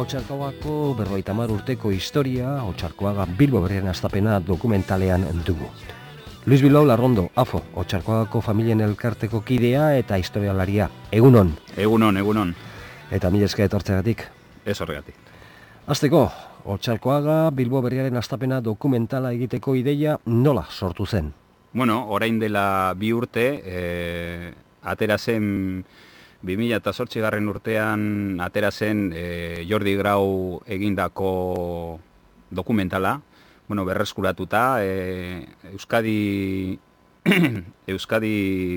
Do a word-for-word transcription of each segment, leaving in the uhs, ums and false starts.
Otxarkoagako berrogeita hamar urteko historia, Otxarkoaga Bilbo Berriaren hastapena dokumentalean dugu. Luis Bilbao Larrondo, Afo, Otxarkoagako familien elkarteko kidea eta historialaria. Egunon. Egunon, egunon. Eta mila esker etortzeagatik. Ez horregatik. Hasteko, Otxarkoaga Bilbo Berriaren hastapena dokumentala egiteko ideia nola sortu zen? Bueno, orain dela bi urte, e, atera zen bi mila zortzigarren urtean atera zen e, Jordi Grau egindako dokumentala, bueno, berreskuratuta, e, Euskadi Euskadi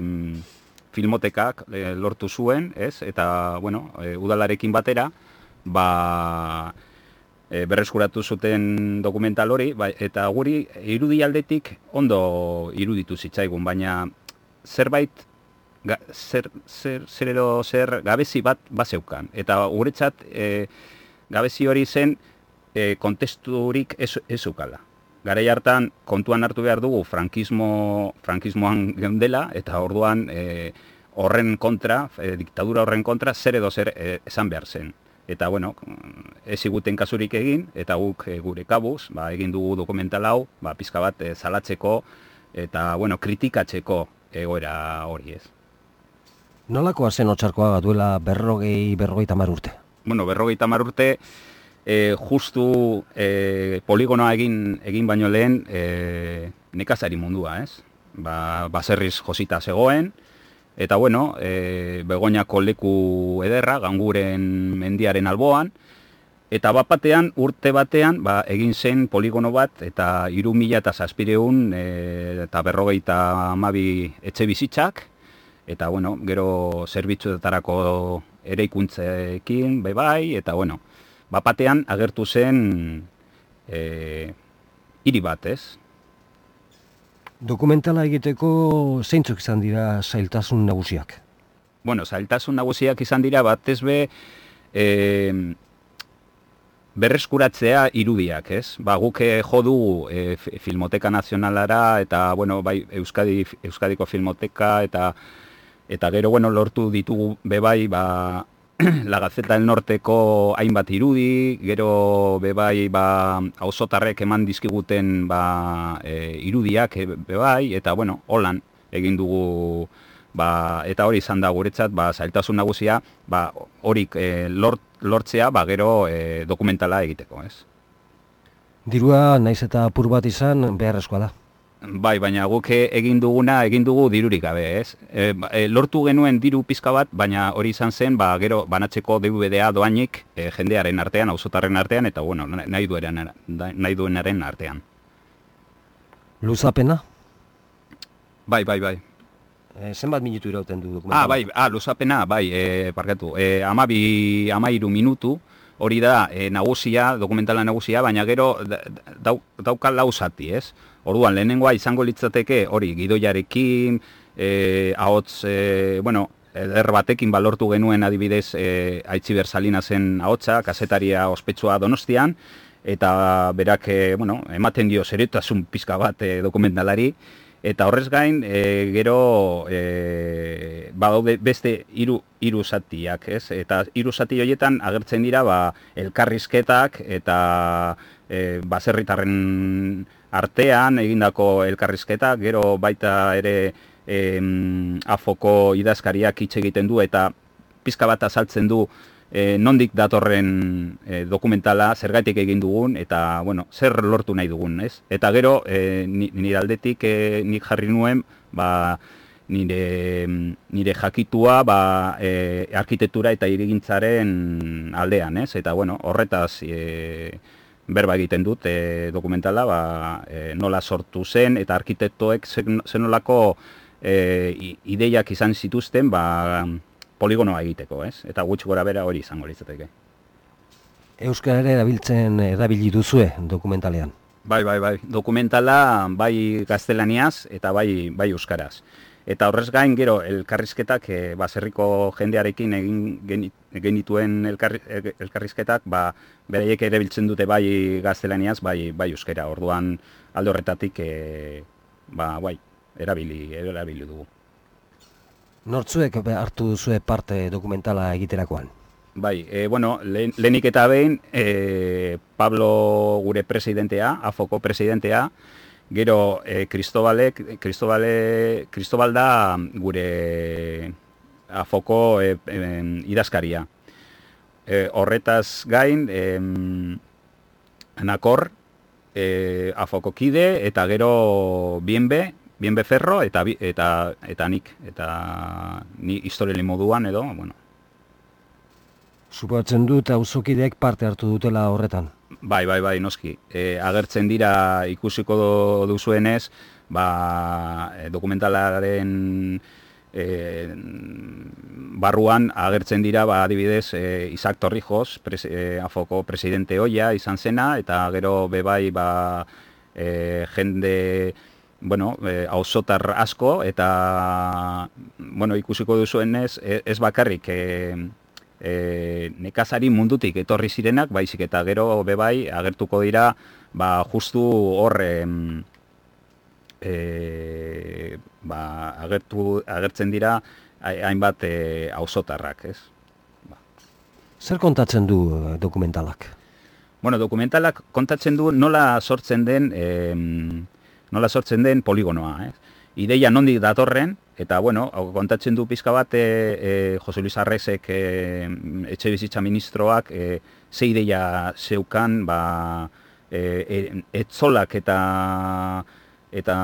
Filmotekak e, lortu zuen, ez? Eta, bueno, e, udalarekin batera, ba, e, berreskuratu zuten dokumental hori, ba, eta guri irudi aldetik ondo iruditu zitzaigun, baina zerbait Ga, zer, zer, zer edo zer gabezi bat bazeukan. Eta guretzat e, gabezi hori zen e, kontesturik ez, ez eukala. Garai hartan kontuan hartu behar dugu frankismo, frankismoan geundela, eta orduan e, horren kontra, e, diktadura horren kontra, zer edo zer e, esan behar zen. Eta, bueno, ez iguten kasurik egin, eta guk e, gure kabuz, ba, egin dugu dokumental hau, ba, pizka bat e, salatzeko, eta, bueno, kritikatzeko egoera hori ez. Nolakoa zen Otxarkoaga duela berrogei, berrogeita hamar urte? Bueno, berrogeita hamar urte, e, justu e, poligonoa egin egin baino lehen e, nekazari mundua, ez? Ba, baserriz josita zegoen, eta bueno, e, Begoñako leku ederra, Ganguren mendiaren alboan, eta bat batean, urte batean, ba, egin zen poligono bat, eta hiru mila eta zazpireun e, eta berrogeita hamabi etxe bizitzak, eta, bueno, gero zerbitzuetarako eraikuntzekin, bai, eta, bueno, bapatean agertu zen e, hiri bat, ez? Dokumentala egiteko zeintzuk izan dira zailtasun nagusiak? Bueno, zailtasun nagusiak izan dira batez be e, berreskuratzea irudiak, ez? Ba, guk jo dugu e, Filmoteka Nazionalara, eta, bueno, bai, Euskadi, Euskadiko Filmoteka, eta Eta gero, bueno, lortu ditugu bebai, ba, La Gaceta del Norteko hainbat irudi, gero bebai, ba, auzotarrek eman dizkiguten, ba, e, irudiak bebai, eta, bueno, holan egin dugu, ba, eta hori izan da guretzat, ba, zailtasun nagusia, ba, horik e, lort, lortzea, ba, gero e, dokumentala egiteko, ez? Dirua, naiz eta apur bat izan, beharrezkoa da. Bai, baina guk egin duguna, egin dugu dirurik gabe, ez? E, e, lortu genuen diru pizka bat, baina hori izan zen, ba, gero banatzeko D V D-a doainik e, jendearen artean, auzotarren artean, eta, bueno, nahi, dueren, nahi duenaren artean. Luzapena? Bai, bai, bai. E, zenbat minutu irauten du dokumentala? Ah, bai, ah, luzapena, bai, e, parkatu. E, amabi, amairu minutu, hori da e, nagusia, dokumentala nagusia, baina gero dau, dauka lau zati, ez? Orduan, lehenengoa izango litzateke hori gidoiarekin, e, ahots, e, bueno, eder batekin balortu genuen adibidez e, Aitziber Salinasen ahotsa, kazetaria ospetsua Donostian, eta berak, e, bueno, ematen dio seriotasun pizka bat e, dokumentalari, eta horrez gain, e, gero e, badaude beste hiru hiru zatiak, ez? Eta hiru zati horietan agertzen dira ba, elkarrizketak eta e, baserritarren artean egindako elkarrizketak, gero baita ere e, Afoko idazkariak hitz egiten du eta pizka bat azaltzen du e, nondik datorren e, dokumentala, zergatik egin dugun, eta, bueno, zer lortu nahi dugun, ez? Eta gero, e, nire aldetik e, nik jarri nuen, ba, nire, nire jakitua, ba, e, arkitektura eta hirigintzaren aldean, ez? Eta, bueno, horretaz e, berba egiten dut e, dokumentala, ba, e, nola sortu zen, eta arkitektoek zenolako e, ideiak izan zituzten, ba, poligonoa egiteko, ez? Eta gutxi gora bera hori izango litzateke. Euskara ere erabiltzen erabili duzue dokumentalean? Bai, bai, bai. Dokumentala bai gaztelaniaz eta bai, bai euskaraz. Eta horrez gain, gero, elkarrizketak, e, baserriko jendearekin egin genituen elkar, elkarrizketak, ba, beraiek ere biltzen dute bai gaztelaniaz, bai, bai euskera. Orduan, alde horretatik, e, ba, bai, erabili, erabili dugu. Nortzuek hartu duzue parte dokumentala egiterakoan? Bai, e, bueno, lehen, lehenik eta behin, e, Pablo gure presidentea, afoko presidentea, gero, e, Cristobalek, Cristobale, Cristobal da gure afoko e, e, idazkaria. E, horretaz gain, e, Anakor, e, afoko kide, eta gero Bienbe, Bienbe Ferro, eta, eta, eta nik, eta ni historiali moduan edo, bueno. Suposatzen dut auzokideek parte hartu dutela horretan. Bai, bai, bai, noski. E, agertzen dira ikusiko duzuenez, ba, dokumentalaren e, barruan agertzen dira, ba, adibidez, e, Isaac Torrijos, pres, e, afoko presidente hoia izan zena, eta gero bebai, ba, e, jende, bueno, e, auzotar asko, eta, bueno, ikusiko duzuenez, ez bakarrik, e, E, nekazari mundutik etorri zirenak, baizik eta gero bebai agertuko dira, ba, justu hor e, ba, agertu, agertzen dira hainbat e, auzotarrak, ez? Ba. Zer kontatzen du dokumentalak? Bueno, dokumentalak kontatzen du nola sortzen den e, nola sortzen den poligonoa, ez? Ideia nondik datorren, eta, bueno, kontatzen du pizka bat, e, e, Jose Luis Arresek, e, etxe bizitza ministroak, e, ze ideia zeukan, ba, e, e, etzolak eta eta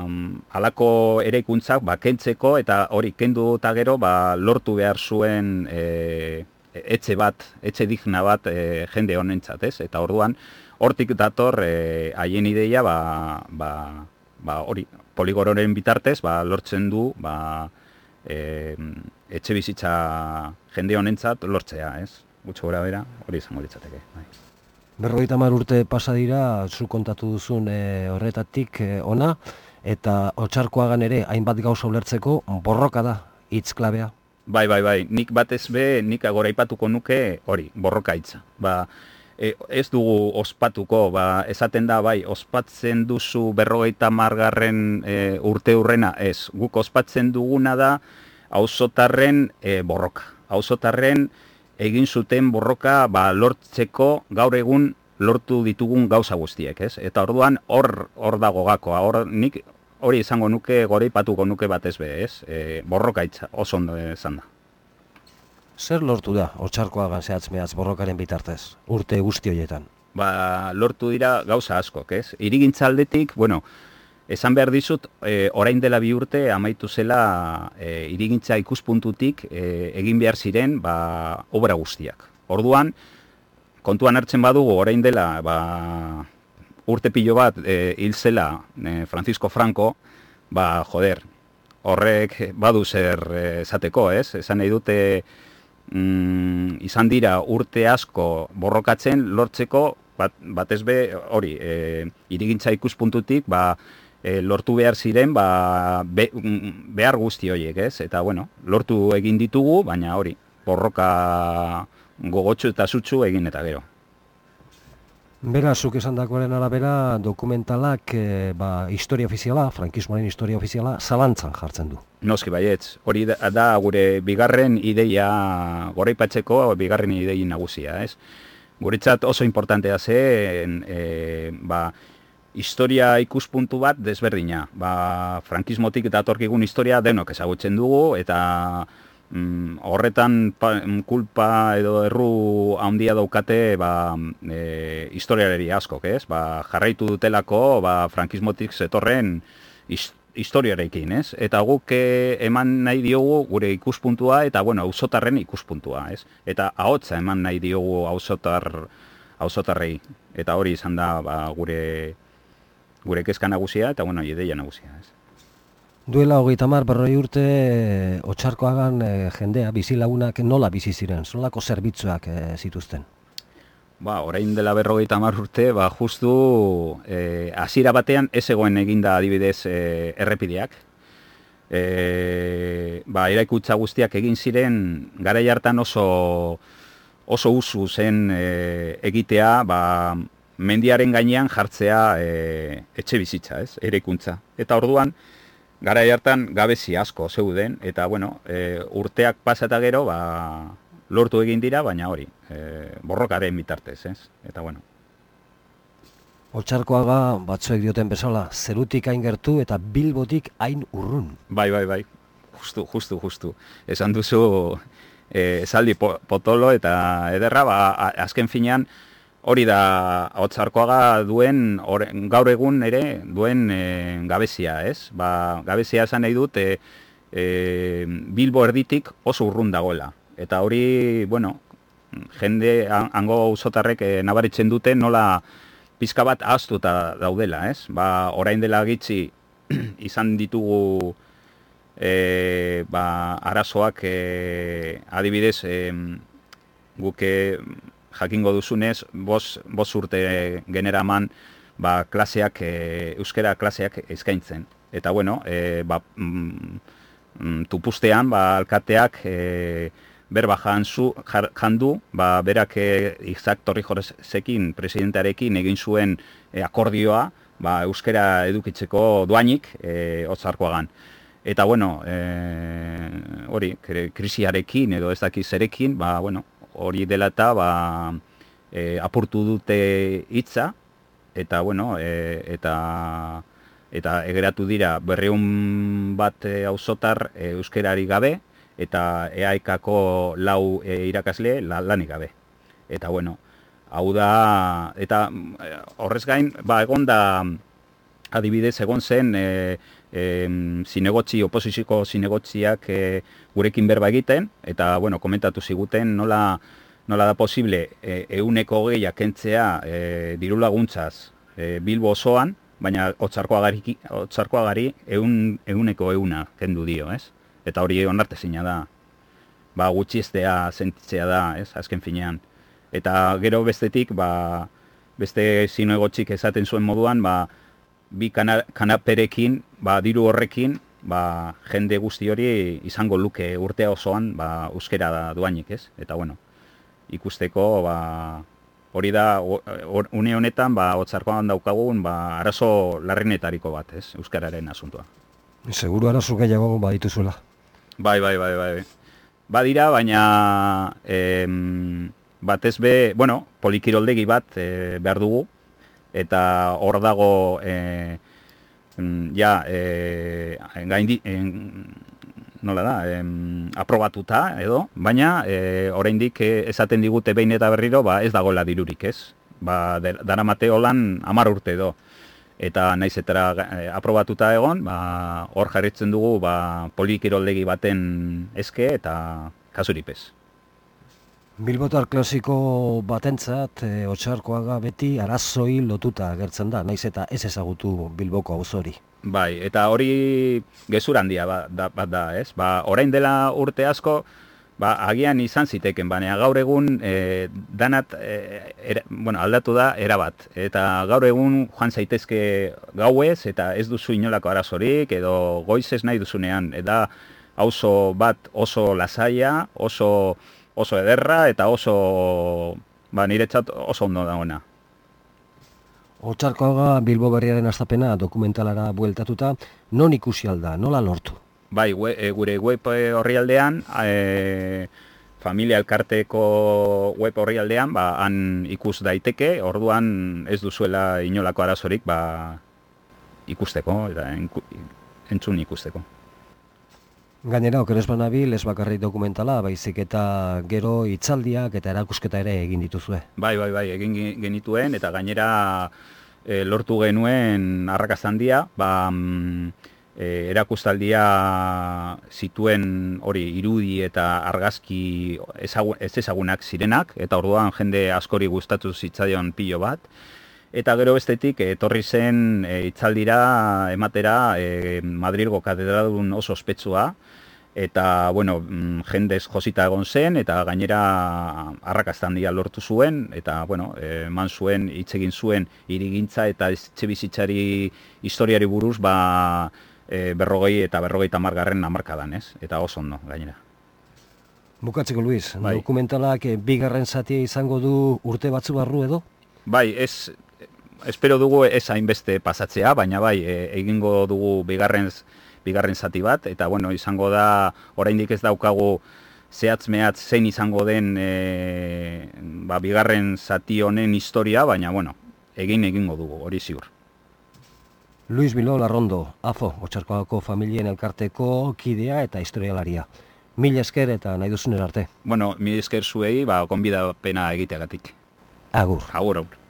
um, alako eraikuntzak, ba, kentzeko, eta hori kendu eta gero, ba, lortu behar zuen e, etxe bat, etxe digna bat e, jende honentzat, ez? Eta orduan, hortik dator e, haien ideia, ba, ba, ba, hori, poligororen bitartez, ba, lortzen du, ba, e, etxe bizitza jende honentzat lortzea, ez? Gutxo gora bera, hori izango litzateke. Bai. Berrogeita hamar urte pasa dira, zu kontatu duzun e, horretatik e, ona, eta Otxarkoagan ere hainbat gauza ulertzeko borroka da, hitz klabea. Bai, bai, bai, nik batez be, nik agoraipatuko nuke hori, borroka hitza. Ba, E, ez dugu ospatuko, ba, esaten da, bai, ospatzen duzu berrogeita margarren e, urte hurrena, ez, guk ospatzen duguna da auzotarren e, borroka. Auzotarren egin zuten borroka, ba, lortzeko gaur egun lortu ditugun gauza guztiek, ez? Eta orduan hor hor dago gakoa, hor nik hori izango nuke, goraipatuko nuke batez be, ez? E, borroka hitza, oso ondo esan da. Zer lortu da, Otxarkoagan zehatz mehaz borrokaren bitartez, urte guzti horietan? Ba, lortu dira gauza askok, ez? Hirigintza aldetik, bueno, esan behar dizut, e, orain dela bi urte amaitu zela e, hirigintza ikuspuntutik e, egin behar ziren, ba, obra guztiak. Orduan, kontuan hartzen badugu, orain dela, ba, urte pilo bat e, hil zela e, Francisco Franco, ba, joder, horrek badu zer esateko, ez? Esan nahi dute, Mm, izan dira urte asko borrokatzen lortzeko, bat, batez be hori, e, hirigintza ikuspuntutik, ba, e, lortu behar ziren, ba, be, behar guzti horiek, ez? Eta, bueno, lortu egin ditugu, baina hori, borroka gogotsu eta sutsu egin eta gero. Bera, zuk esan dakoaren arabera, dokumentalak, e, ba, historia ofiziala, frankismoaren historia ofiziala, zalantzan jartzen du. Noski baietz, hori da, da gure bigarren ideia, goraipatzeko bigarren idei nagusia, ez? Guretzat oso importantea zen, e, ba, historia ikuspuntu bat desberdina. Ba, frankismotik datorkigun historia denok ezagutzen dugu, eta mm, horretan pa, kulpa edo erru handia daukate, ba, e, historialeri askok, ez? Ba, jarraitu dutelako, ba, frankismotik zetorren historia, historiarekin, ez? Eta guk e, eman nahi diogu gure ikuspuntua eta, bueno, auzotarren ikuspuntua, ez? Eta ahotsa eman nahi diogu auzotar, auzotarrei. Eta hori izan da, ba, gure, gure kezka nagusia eta, bueno, ideia nagusia, ez? Duela hogeita hamar berroi urte e, Otxarkoagan e, jendea, bizilagunak nola bizi ziren, nolako zerbitzuak e, zituzten? Ba, orain dela berrogeita hamar urte, ba, justu e, hasiera batean ez egoen eginda adibidez e, errepideak. e, ba, eraikuntza guztiak egin ziren, garai hartan oso, oso usu zen e, egitea, ba, mendiaren gainean jartzea e, etxe bizitza, ez, eraikuntza. Eta orduan, garai hartan gabezi asko zeuden, eta bueno, e, urteak pasata gero, ba, lortu egin dira, baina hori, e, borrokaren bitartez, ez? Eta bueno. Otxarkoaga batzuek dioten bezala, zerutik hain gertu eta Bilbotik hain urrun. Bai, bai, bai, justu, justu, justu. Esan duzu e, esaldi potolo eta ederra, ba, azken finean, hori da Otxarkoaga duen, or, gaur egun ere, duen e, gabezia, ez? Ba, gabezia esan nahi dut, e, e, Bilbo erditik oso urrun dagoela. Eta hori, bueno, jende, hango auzotarrek e, nabaritzen dute nola pizka bat ahaztuta daudela, ez? Ba, orain dela gitxi izan ditugu e, ba, arazoak e, adibidez e, guke jakingo duzunez, bos, bos urte generaman ba, klaseak, e, euskera klaseak eskaintzen. Eta bueno, e, ba, mm, tupustean ba, alkateak e, berba janzu, jandu, ba, berak e, Isaac Torrijorezekin, presidentearekin egin zuen e, akordioa ba, euskera edukitzeko doainik e, Otxarkoagan. Eta bueno, e, hori, krisiarekin edo ez dakiz zerekin, ba, bueno, hori dela eta ba, e, apurtu dute hitza, eta bueno, e, eta eta egeratu dira berreun bat e, auzotar e, euskerari gabe, eta E A E K-ko lau e, irakasle la, lanik gabe. Eta bueno, hau da, eta horrez gain, ba, egon da, adibidez, egon zen, e, e, zinegotzi, oposiziko zinegotziak e, gurekin berba egiten, eta, bueno, komentatu ziguten nola, nola da posible e, euneko hogeiak kentzea e, diru laguntzaz e, Bilbo osoan, baina Otxarkoagari, Otxarkoagari eun, euneko euna kendu dio, ez? Eta hori onartezina da, ba, gutxiestea sentitzea da, ez, azken finean. Eta gero bestetik, ba, beste zinegotzik esaten zuen moduan, ba, bi kana, kanaperekin, ba, diru horrekin, ba, jende guzti hori izango luke urtea osoan, ba, euskera da duainik, ez? Eta bueno, ikusteko, ba, hori da, or, une honetan, ba, Otxarkoagan daukagun, ba, arazo larrinetariko bat, ez, euskararen asuntoa. Seguru arazo gehiago badituzuela. Bai, bai, bai, bai. Badira, baina em, batez be, bueno, polikiroldegi bat e, behar dugu, eta hor dago e, ja, e, gaindi, en, nola da, em, aprobatuta edo, baina e, oraindik esaten digute behin eta berriro, ba, ez dagoela dirurik, ez? Ba, daramate holan hamar urte edo. Eta naiz eta e, aprobatuta egon, ba, hor jarritzen dugu ba, polikiroldegi baten eske eta kasuripez. Bilbotar klasiko batentzat, e, Otxarkoaga beti arazoi lotuta agertzen da, naiz eta ez ezagutu Bilboko auzori. Bai, eta hori gezur handia bat da, bat da, ez? Ba, orain dela urte asko, ba, agian izan ziteken, baina gaur egun e, danat e, era, bueno, aldatu da erabat. Eta gaur egun joan zaitezke gauez eta ez duzu inolako arazorik edo goizez nahi duzunean. Eta auzo bat oso lasaia, oso, oso ederra eta oso, ba, niretzat oso ondo dagoena. Otxarkoaga Bilbo berriaren hastapena dokumentalara bueltatuta, non ikusi alda, nola lortu? Bai, we, e, gure web orrialdean, e, familia elkarteko web orrialdean, ba, han ikus daiteke, orduan ez duzuela inolako arazorik, ba, ikusteko, eta entzun ikusteko. Gainera, okeres banabil, ez bakarrik dokumentala, baizik eta gero hitzaldiak eta erakusketa ere egin dituzue. Bai, bai, bai, egin genituen, eta gainera e, lortu genuen arrakasta handia, ba, E, erakustaldia zituen hori irudi eta argazki ezagun, ez ezagunak zirenak, eta orduan jende askori gustatu zitzaion pilo bat. Eta gero bestetik etorri zen e, itzaldira ematera e, Madrilgo katedradun oso ospetsua, eta bueno, jendez josita egon zen, eta gainera arrakasta handia lortu zuen, eta bueno, eman zuen, hitz egin zuen hirigintza eta etxebizitzari historiari buruz, ba, e, berrogei eta berrogeita hamargarren hamarkadan, ez? Eta oso ondo, gainera. Bukatzeko, Luis, Bai. dokumentalak eh, bigarren zatia izango du urte batzu barru edo? Bai, ez, espero dugu ez hainbeste pasatzea, baina bai, e, egingo dugu bigarren, bigarren zati bat, eta bueno, izango da, oraindik ez daukagu zehatz mehatz zein izango den e, ba, bigarren zati honen historia, baina bueno, egin egingo dugu, hori ziur. Luis Bilbao Larrondo, AFO, Otxarkoagako familien elkarteko kidea eta historialaria. Mila esker eta nahi duzunen arte. Bueno, mila esker zuei, ba, konbidapena egiteagatik. Agur. Agur, agur.